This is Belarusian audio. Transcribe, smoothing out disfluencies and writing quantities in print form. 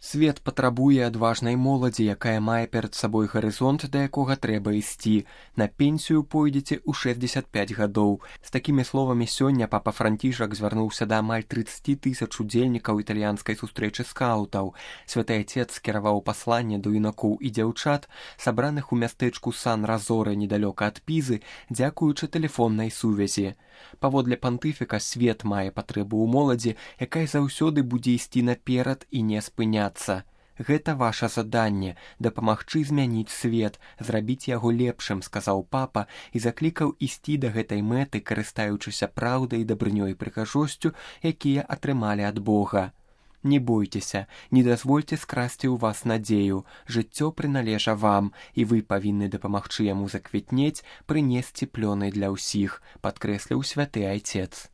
Свет патрабуе адважнай моладзі, якая мае перад сабой гарызонт, да якога трэба ісці. На пенсію пойдзеце ў 65 гадоў. З такімі словамі сёння папа Францішак звярнуўся да амаль 30 000 удзельнікаў італьянскай сустрэчы скаўтаў. Святы Отец скіраваў пасланне да юнакоў і дзяўчат, сабраных у мястэчку Сан-Разоре недалёка ад Пізы, дзякуючы тэлефоннай сувязі. Паводле пантыфіка, свет мае патрэбу ў моладзі, якая заўсёды будзе ісці наперад і не спыняцца. Гэта ваша заданне – дапамагчы змяніць свет, зрабіць яго лепшым, сказаў папа і заклікаў ісці да гэтай мэты, карыстаючыся праўдай і дабрынёй і прыгажосцю, якія атрымалі ад Бога. Не бойцеся, не дазвольце скрасці ў вас надзею. Жыццё прыналежа вам, і вы павінны дапамагчы яму заквітнець, прынесці плёны для ўсіх, падкрэсліў святы Айцец.